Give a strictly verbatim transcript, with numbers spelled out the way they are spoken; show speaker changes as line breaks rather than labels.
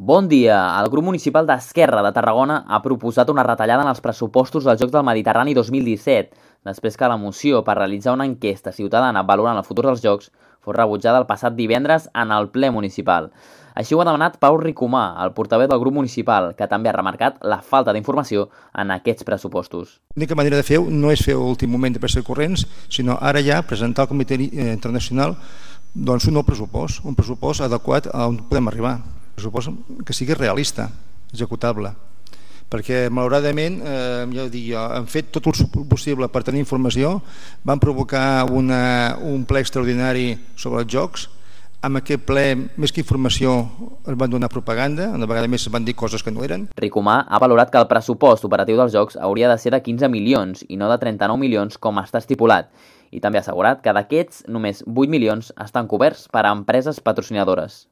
Bon dia! El grup municipal d'Esquerra de Tarragona ha proposat una retallada en els pressupostos dels Jocs del Mediterrani dos mil disset, després que la moció per realitzar una enquesta ciutadana valorant el futur dels Jocs fos rebutjada el passat divendres en el ple municipal. Així ho ha demanat Pau Ricomà, el portaveu del grup municipal, que també ha remarcat la falta d'informació en aquests pressupostos.
L'única manera de fer-ho no és fer a l'últim moment de pressa corrents, sinó ara ja presentar al Comitè Internacional doncs, un nou pressupost, un pressupost adequat a on podem arribar. Un pressupost que sigui realista, executable. Perquè, malauradament, eh, ja dic jo, han fet tot el possible per tenir informació, van provocar una, un ple extraordinari sobre els jocs. Amb aquest ple, més que informació, es van donar propaganda, una vegada més es van dir coses que no eren.
Ricomà ha valorat que el pressupost operatiu dels Jocs hauria de ser de quinze milions i no de trenta-nou milions com està estipulat, i també ha assegurat que d'aquests només vuit milions estan coberts per a empreses patrocinadores.